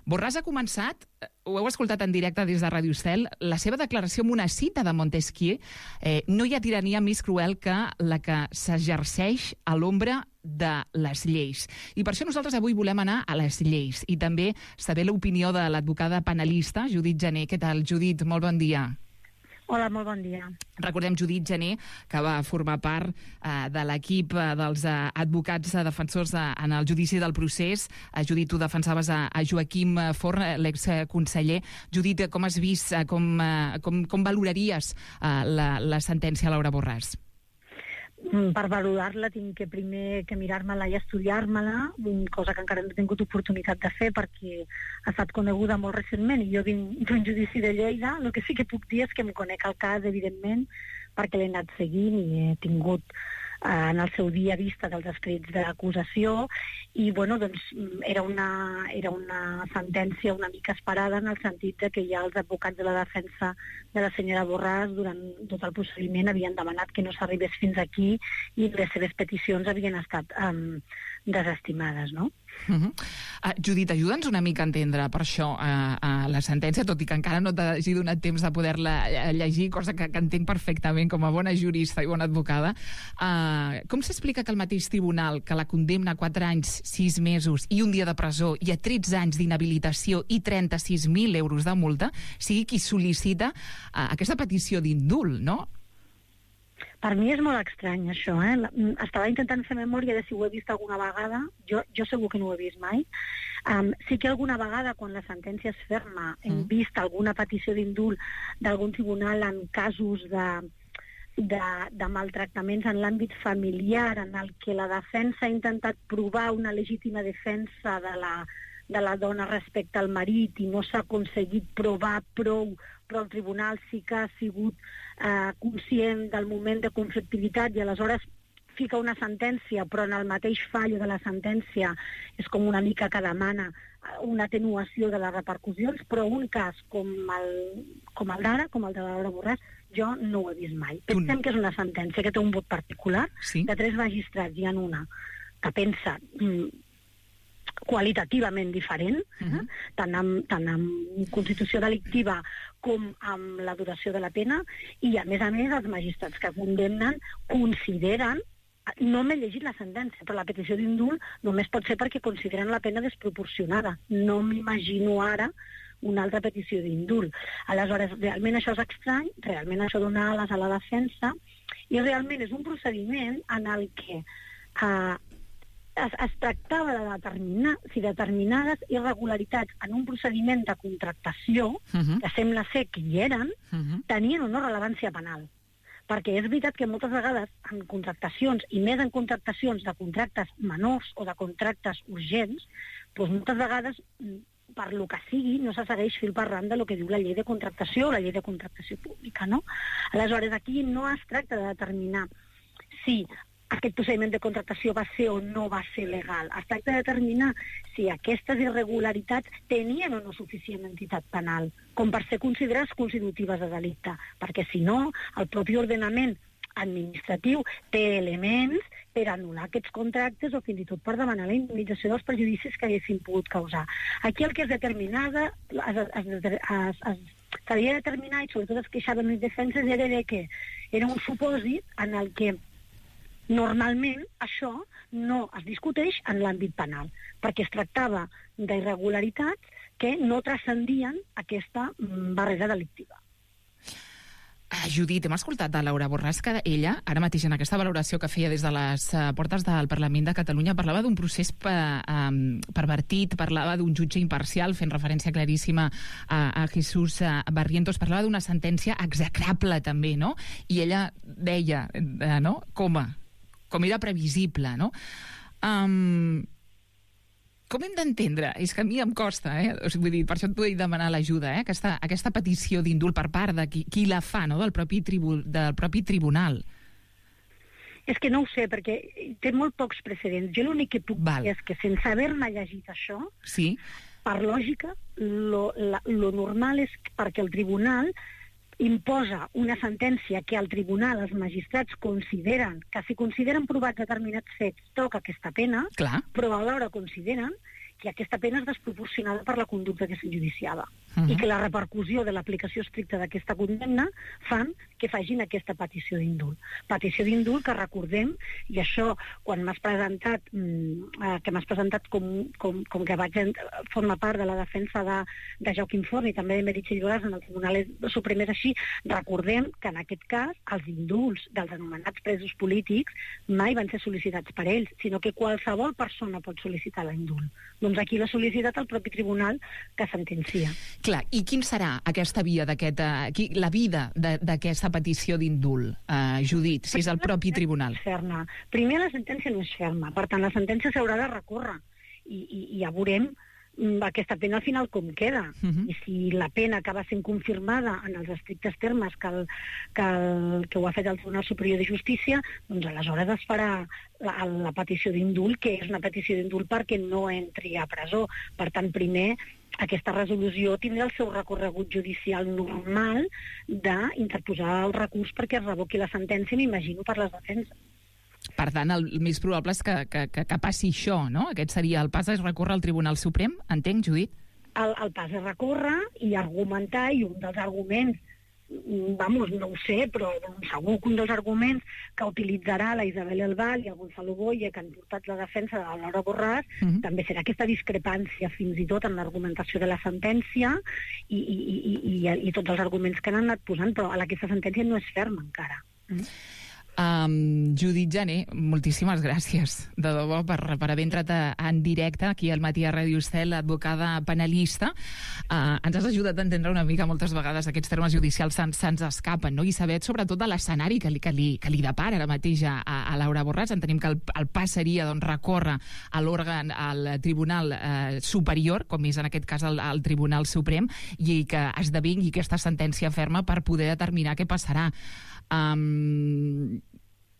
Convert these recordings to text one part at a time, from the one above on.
Borràs ha començat, ho heu escoltat en directe des de Radio Estel, la seva declaració amb una cita de Montesquieu. No hi ha tirania més cruel que la que s'exerceix a l'ombra de les lleis. I per això nosaltres avui volem anar a les lleis i també saber l'opinió de l'advocada penalista Judit Gené. Què tal, Judit? Molt bon dia. Hola, molt bon dia. Recordem Judit Gené, que va formar part de l'equip dels advocats defensors en el judici del procés. Judit, tu defensaves a Joaquim Forn, l'exconseller. Judit, com has vist, com valoraries la sentència a Laura Borràs? Per valorar-la tinc que primer que mirar-me-la i estudiar-me-la, cosa que encara no he tingut oportunitat de fer perquè ha estat coneguda molt recentment i jo vinc d'un judici de Lleida. El que sí que puc dir és que em conec el cas, evidentment, perquè l'he anat seguint i he tingut en el seu dia vista dels escrits d'acusació i bueno, doncs, era una sentència una mica esperada en el sentit de que ja els advocats de la defensa de la senyora Borràs durant tot el procediment havien demanat que no s'arribés fins aquí i les seves peticions havien estat desestimades, no? Judit, ajuda'ns una mica a entendre per això la sentència, tot i que encara no t'hagi donat temps de poder-la llegir, cosa que entenc perfectament com a bona jurista i bona advocada. Com s'explica que el mateix tribunal que la condemna a 4 anys, 6 mesos i un dia de presó i a 13 anys d'inhabilitació i 36.000 euros de multa sigui qui sol·licita aquesta petició d'indult, no? Per mi és molt estrany, això, Estava intentant fer memòria de si ho he vist alguna vegada. Jo segur que no ho he vist mai. Sí que alguna vegada, quan la sentència és ferma, hem vist alguna petició d'indult d'algun tribunal en casos de maltractaments en l'àmbit familiar, en el que la defensa ha intentat provar una legítima defensa de la dona respecte al marit i no s'ha aconseguit provar prou, però el tribunal sí que ha sigut conscient del moment de conflictivitat i aleshores fica una sentència, però en el mateix fallo de la sentència és com una mica que demana una atenuació de les repercussions, però un cas com el d'ara, com el de Laura Borràs, jo no ho he vist mai. Pensem que és una sentència que té un vot particular, sí? De 3 magistrats hi ha una que pensa qualitativament diferent, tant amb constitució delictiva com amb la duració de la pena, i a més els magistrats que condemnen consideren, no m'he llegit la sentència, però la petició d'indult només pot ser perquè consideren la pena desproporcionada. No m'imagino ara una altra petició d'indult. Aleshores, realment això és estrany, realment això dona ales a la defensa, i realment és un procediment en el que es tractava de determinar si determinades irregularitats en un procediment de contractació, que sembla ser que hi eren, tenien o no rellevància penal. Perquè és veritat que moltes vegades en contractacions, i més en contractacions de contractes menors o de contractes urgents, doncs moltes vegades, per lo que sigui, no se segueix fil per randa del que diu la llei de contractació o la llei de contractació pública, no? Aleshores, aquí no es tracta de determinar si aquest procediment de contractació va ser o no va ser legal. Es tracta de determinar si aquestes irregularitats tenien o no suficient entitat penal, com per ser considerades constitutives de delicte, perquè si no, el propi ordenament administratiu té elements per anul·lar aquests contractes o fins i tot per demanar la indemnització dels perjudicis que haguessin pogut causar. Aquí el que es determinava, s'havia de determinar, i sobretot es queixaven les defenses, era que era un supòsit en el que normalment això no es discuteix en l'àmbit penal, perquè es tractava d'irregularitats que no transcendien aquesta barrera delictiva. Judit, hem escoltat a Laura Borràs que ella, ara mateix en aquesta valoració que feia des de les portes del Parlament de Catalunya, parlava d'un procés pervertit, parlava d'un jutge imparcial, fent referència claríssima a Jesús Barrientos, parlava d'una sentència execrable també, no? I ella deia, no?, com era previsible, no? Com hem d'entendre? És que a mi em costa, vull dir, per això et vull demanar l'ajuda, aquesta petició d'indult per part de qui la fa, no?, del propi tribunal. És que no ho sé, perquè té molt pocs precedents. Jo l'únic que puc dir és que sense haver-me llegit això, sí, per lògica, lo normal és perquè el tribunal imposa una sentència que al tribunal els magistrats consideren que si consideren provats determinats fets toca aquesta pena, clar, però alhora consideren que aquesta pena és desproporcionada per la conducta que s'enjudiciava i que la repercussió de l'aplicació estricta d'aquesta condemna fan que facin aquesta petició d'indult. Petició d'indult que recordem, i això quan m'has presentat com que vaig formar part de la defensa de Joaquim Forn i també de Meritxell Borràs en el Tribunal Suprem és així, recordem que en aquest cas els indults dels anomenats presos polítics mai van ser sol·licitats per ells, sinó que qualsevol persona pot sol·licitar l'indult. Doncs aquí l'ha sol·licitat el propi tribunal que sentencia. Clar, i quin serà aquesta via la vida d'aquesta petició d'indult, Judit, si és el propi tribunal? Primer, la sentència no és ferma, per tant, la sentència s'haurà de recórrer i ja veurem aquesta pena al final com queda. I si la pena acaba sent confirmada en els estrictes termes que ho ha fet el Tribunal Superior de Justícia, doncs aleshores es farà la petició d'indult, que és una petició d'indult perquè no entri a presó. Per tant, primer, aquesta resolució tindrà el seu recorregut judicial normal d'interposar el recurs perquè es revoqui la sentència, m'imagino, per les defenses. Per tant, el més probable és que passi això, no? Aquest seria el pas, és recórrer al Tribunal Suprem, entenc, Judit? El pas és recórrer i argumentar, i un dels arguments, no ho sé, però segur que un dels arguments que utilitzarà la Isabel Elbal i el Gonzalo Boye, que han portat la defensa de la Laura Borràs, també serà aquesta discrepància fins i tot en l'argumentació de la sentència i tots els arguments que han anat posant, però aquesta sentència no és ferma encara. Judit Jané, moltíssimes gràcies de debò per haver entrat en directe aquí al Matí a Ràdio Estel, advocada penalista. Ens has ajudat a entendre una mica, moltes vegades aquests termes judicials se'ns escapen, no? I saber sobretot de l'escenari que li depara ara mateix a Laura Borràs. Entenem que el pas seria recórrer a l'òrgan, al Tribunal Superior, com és en aquest cas el Tribunal Suprem, i que esdevingui aquesta sentència ferma per poder determinar què passarà.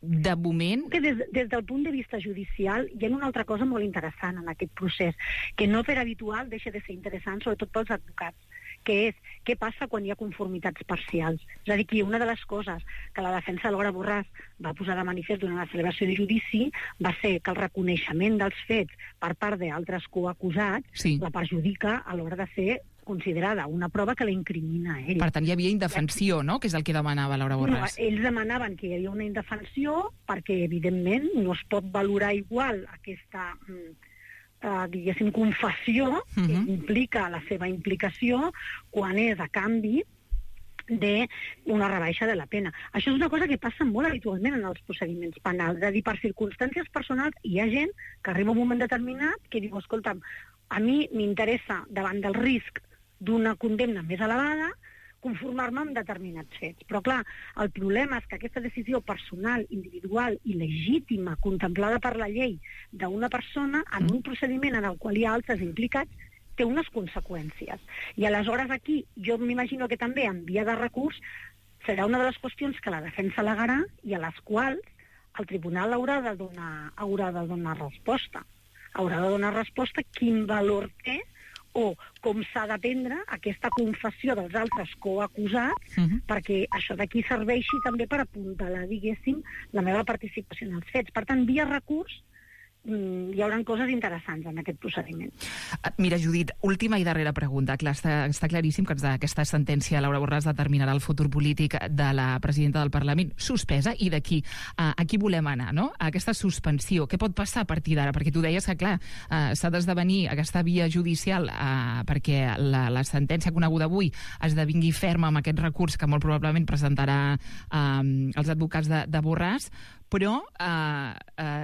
De moment... Des del punt de vista judicial hi ha una altra cosa molt interessant en aquest procés, que no per habitual deixa de ser interessant, sobretot pels advocats, que és què passa quan hi ha conformitats parcials. És a dir, que una de les coses que la defensa de Laura Borràs va posar de manifest durant la celebració de judici va ser que el reconeixement dels fets per part d'altres coacusats la perjudica a l'hora de ser considerada una prova que la incrimina a ell. Per tant, hi havia indefensió, no?, que és el que demanava Laura Borràs. No, ells demanaven que hi havia una indefensió perquè, evidentment, no es pot valorar igual aquesta, diguéssim, confessió que implica la seva implicació quan és a canvi d'una rebaixa de la pena. Això és una cosa que passa molt habitualment en els procediments penals. És a dir, per circumstàncies personals hi ha gent que arriba a un moment determinat que diu, escolta'm, a mi m'interessa, davant del risc d'una condemna més elevada, conformar-me amb determinats fets. Però, clar, el problema és que aquesta decisió personal, individual i legítima, contemplada per la llei d'una persona, en un procediment en el qual hi ha altres implicats, té unes conseqüències. I aleshores aquí, jo m'imagino que també en via de recurs serà una de les qüestions que la defensa al·legarà i a les quals el tribunal haurà de donar resposta. Haurà de donar resposta quin valor té o com s'ha de prendre aquesta confessió dels altres coacusats perquè això d'aquí serveixi també per apuntalar, diguéssim, la meva participació en els fets. Per tant, via recurs hi haurà coses interessants en aquest procediment. Mira, Judit, última i darrera pregunta. Clar, està claríssim que aquesta sentència Laura Borràs determinarà el futur polític de la presidenta del Parlament suspesa, i d'aquí a qui volem anar, no? A aquesta suspensió. Què pot passar a partir d'ara? Perquè tu deies que, clar, s'ha d'esdevenir aquesta via judicial perquè la sentència coneguda avui esdevingui ferma amb aquest recurs que molt probablement presentarà els advocats de Borràs, però,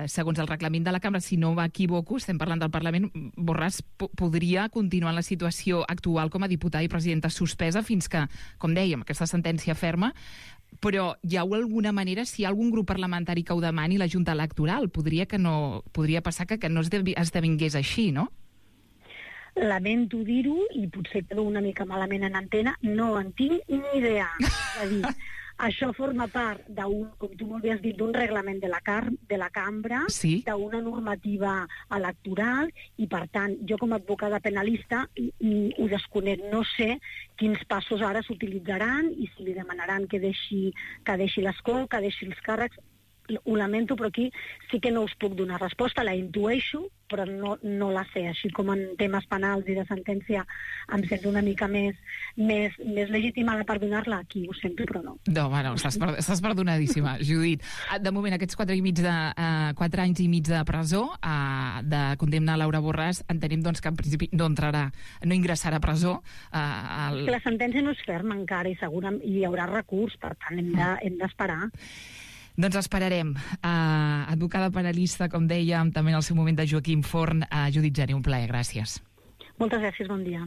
segons el reglament de la Cambra, si no m'equivoco, estem parlant del Parlament, Borràs podria continuar en la situació actual com a diputada i presidenta suspesa fins que, com dèiem, aquesta sentència ferma, però hi ha alguna manera, si hi ha algun grup parlamentari que ho demani, la Junta Electoral, podria passar que no esdevingués així, no? Lamento dir-ho, i potser quedo una mica malament en antena, no en tinc ni idea. És a dir, això forma part d'un, com tu molt bé has dit, d'un reglament de la Cambra, d'una normativa electoral, i per tant, jo com a advocada penalista ho desconec. No sé quins passos ara s'utilitzaran i si li demanaran que deixi l'escó, que deixi els càrrecs. ho lamento, però aquí sí que no us puc donar resposta, la intueixo, però no la sé. Així com en temes penals i de sentència em sento una mica més legitimada per donar-la, aquí ho sento, però no. No, bueno, estàs perdonadíssima, Judit. De moment, aquests 4 anys i mig de presó, de condemna a Laura Borràs, entenem doncs, que en principi no ingressarà a presó. Que la sentència no és ferma encara i segurament hi haurà recurs, per tant hem d'esperar. Doncs esperarem. Advocada penalista, com dèiem, també en el seu moment de Joaquim Forn, Judit Geli, un plaer, gràcies. Moltes gràcies, bon dia.